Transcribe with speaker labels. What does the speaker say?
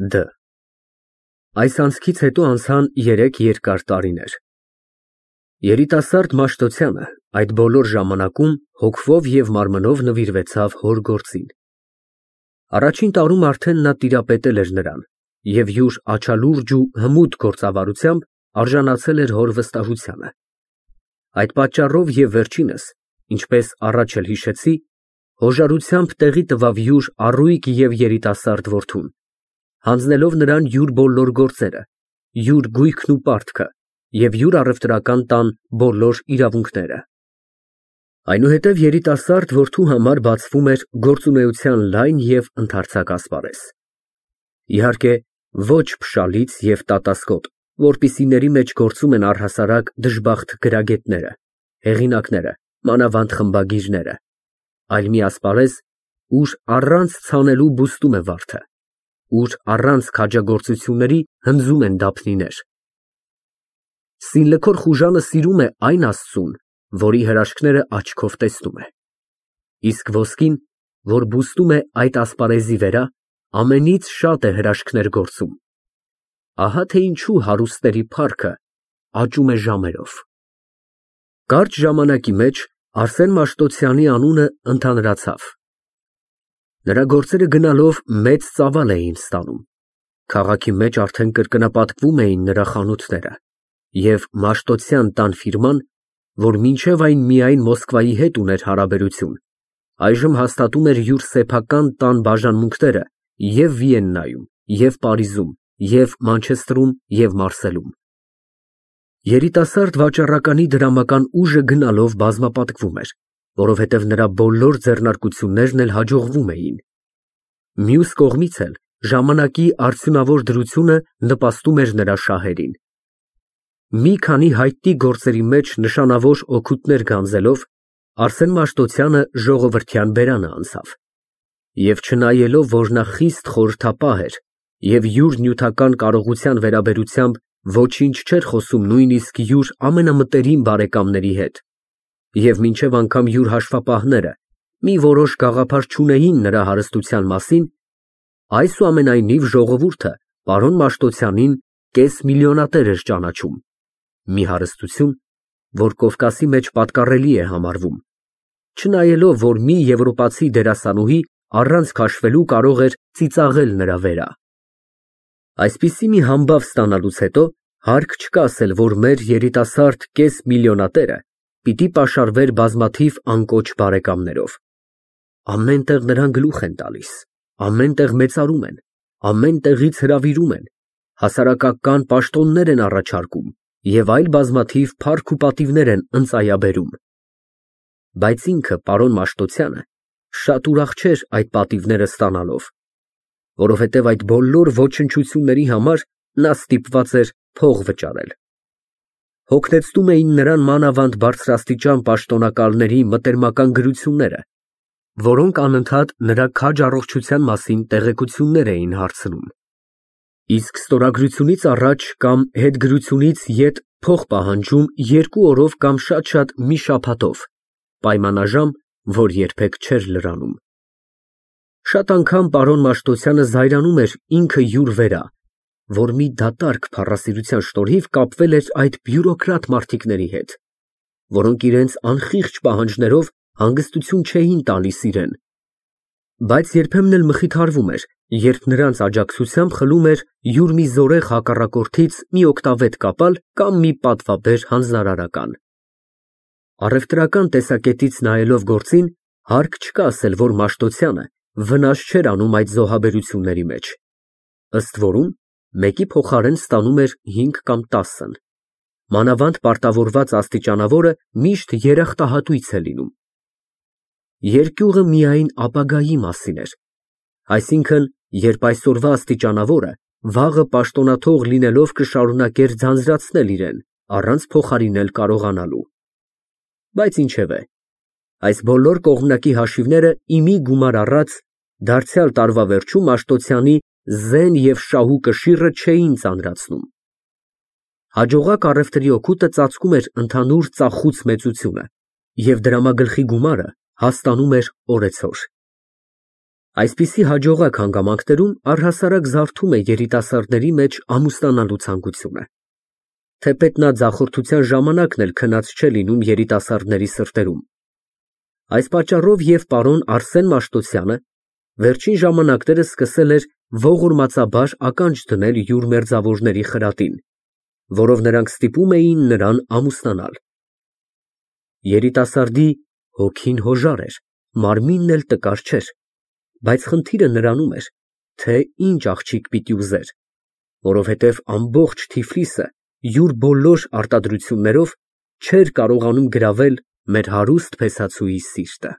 Speaker 1: Դ Այս անցքից հետո անցան 3 երկար տարիներ։ Երիտասարդ Մաշտոցյանը այդ բոլոր ժամանակում հոգվով և մարմնով նվիրվեցավ հոր գործին։ Առաջին տարում արդեն նա տիրապետել էր նրան և յուր աչալուրջ ու հմուտ գործավարությամբ արժանացել էր հոր վստահությանը։ Այդ պատճառով և վերջինս, ինչպես առաջ էլ հիշեցի, հոժարությամբ տեղի տվավ յուր առույգ և երիտասարդ որդուն, հանձնելով նրան յուր բոլոր գործերը, յուր գույքն ու պարտքը և յուր առևտրական տան բոլոր իրավունքները։ Այնուհետև երիտասարդ որդու համար բացվում էր գործունեության լայն և ընդարձակ ասպարեզ։ Իհարկե, ոչ փշալից և տատասկոտ, որպիսիների մեջ գործում են առհասարակ դժբախտ գրագետները, հեղինակները, մանավանդ խմբագիրները, այլ մի ասպարեզ, ուր առանց ցանելու բուստում է վարդը, ուր առանց քաջագործությունների հնձում են դափնիներ։ Սինլքոր խուժանը սիրում է այն Աստծուն, որի հրաշքները աչքով տեսնում է, իսկ ոսկին, որ բուստում է այդ ասպարեզի վրա, ամենից շատ է հրաշքներ գործում։ Ահա թե ինչու հարուստների փառքը աճում է ժամերով։ Կարճ ժամանակի մեջ Արսեն Մաշտոցյանի անունը ընդհանրացավ։ Նրա գործերը գնալով մեծ ծավալ էին ստանում, քաղաքի մեջ արդեն կրկնապատկվում էին նրա խանութները, և Մաշտոցյան տան ֆիրման, որ մինչև այն միայն Մոսկվայի հետ ուներ հարաբերություն, այժմ հաստատում էր յուր սեփական տան բաժանմունքները և Վիեննայում, և Պարիզում, և Մանչեստրում, և Մարսելում։ Երիտասարդ վաճառականի դրամական ուժը գնալով բազմապատկվում էր, որովհետև նրա բոլոր ձեռնարկություններն էլ հաջողվում էին։ Մյուս կողմից էլ ժամանակի արդյունավոր դրությունը նպաստում էր նրա շահերին։ Մի քանի հայտնի գործերի մեջ նշանավոր օգուտներ գանձելով, Արսեն Մաշտոցյանը ժողովրդյան բերանը անցավ։ Եվ չնայելով, որ նա խիստ խորհրդապահ էր և յուր նյութական կարողության վերաբերությամբ ոչինչ չէր խոսում նույնիսկ յուր ամենամտերիմ բարեկամների հետ, և մինչև անգամ յուր հաշվապահները մի որոշ գաղափար չունեին նրա հարստության մասին, այսուամենայնիվ ժողովուրդը պարոն Մաշտոցյանին կեսմիլիոնատեր էր ճանաչում, մի հարստություն, որ Կովկասի մեջ պատկառելի է համարվում, չնայելով, որ մի եվրոպացի դերասանուհի առանց քաշվելու կարող էր ծիծաղել նրա վրա։ Այսպիսի մի համբավ ստանալուց հետո հարկ չկա ասել, որ մեր երիտասարդ կեսմիլիոնատերը պիտի պաշարվեր բազմաթիվ անկոչ բարեկամներով։ Ամեն տեղ նրան գլուխ են տալիս, ամեն տեղ մեծարում են, ամեն տեղից հրավիրում են, հասարակական պաշտոններ են առաջարկում և այլ բազմաթիվ փառք ու պատիվներ են ընծայաբերում։ Բայց ինքը, պարոն Մաշտոցյանը, շատ ուրախ չէր այդ պատիվները ստանալով, որովհետև այդ բոլոր ոչնչությունների համար նա ստիպված էր փող վճարել։ Հոգնեցնում էին նրան մանավանդ բարձրաստիճան պաշտոնակալների մտերմական գրությունները, որոնք անընդհատ նրա քաջ առողջության մասին տեղեկություններ էին հարցնում։ Իսկ ստորագրությունից առաջ կամ հետգրությունից ետ փող պահանջում 2 օրով կամ շատ մի շաբաթով, պայմանաժամ, որ երբեք չէր լրանում։ Շատ անգամ պարոն Մաշտոցյանը զայրանում էր ինքը յուր վրա, որ մի դատարկ փառասիրության շնորհիվ կապվել էր այդ բյուրոկրատ մարդիկների հետ, որոնք իրենց անխիղճ պահանջներով հանգստություն չէին տալիս իրան, բայց երբեմն էլ մխիթարվում էր, երբ նրանց աջակցությամբ խլում էր յուր մի զորեղ հակառակորդից մի օգտավետ կապալ կամ մի պատվաբեր հանձնարարական։ Առևտրական տեսակետից նայելով գործին, հարկ չկա ասել, որ Մաշտոցյանը վնաս չէր անում այդ զոհաբերությունների մեջ, ըստ որում մեկի փոխարեն ստանում էր 5 կամ 10, մանավանդ պարտավորված աստիճանավորը միշտ երախտահատույց է լինում։ Երկյուղը միայն ապագայի մասին էր, այսինքն, երբ այսօրվա աստիճանավորը վաղը պաշտոնաթող լինելով կշարունակեր ձանձրացնել իրան, առանց փոխարինել կարողանալու։ Բայց ինչևէ, այս բոլոր կողմնակի հաշիվները իմի գումար առած, դարձյալ տարվա վերջում Մաշտոցյանի զեն և շահու կշիռը չէին ծանրացնում։ Հաջողակ առևտրի օգուտը ծածկում էր ընդհանուր ծախուց մեծությունը, և դրամագլխի գումարը հաստանում էր օրեցօր։ Այսպիսի հաջողակ հանգամանքներում առհասարակ զարթում է երիտասարդների մեջ ամուսնանալու ցանկությունը։ Թեպետ նա ձախորդության ժամանակն էլ քնած չէ լինում երիտասարդների սրտերում։ Այս պատճառով և պարոն Արսեն Մաշտոցյանը վերջին ժամանակներս սկսել էր ողորմածաբար ականջ դնել յուր մերձավորների խրատին, որով նրանք ստիպում էին նրան ամուսնանալ։ Երիտասարդի հոգին հոժար էր, մարմինն էլ տկար չէր, բայց խնդիրը նրանում էր, թե ինչ աղջիկ պիտի ուզեր, որովհետև ամբողջ Թիֆլիսը յուր բոլոր արտադրություններով չէր կարողանում գրավել մեր հարուստ փեսացուի սիրտը։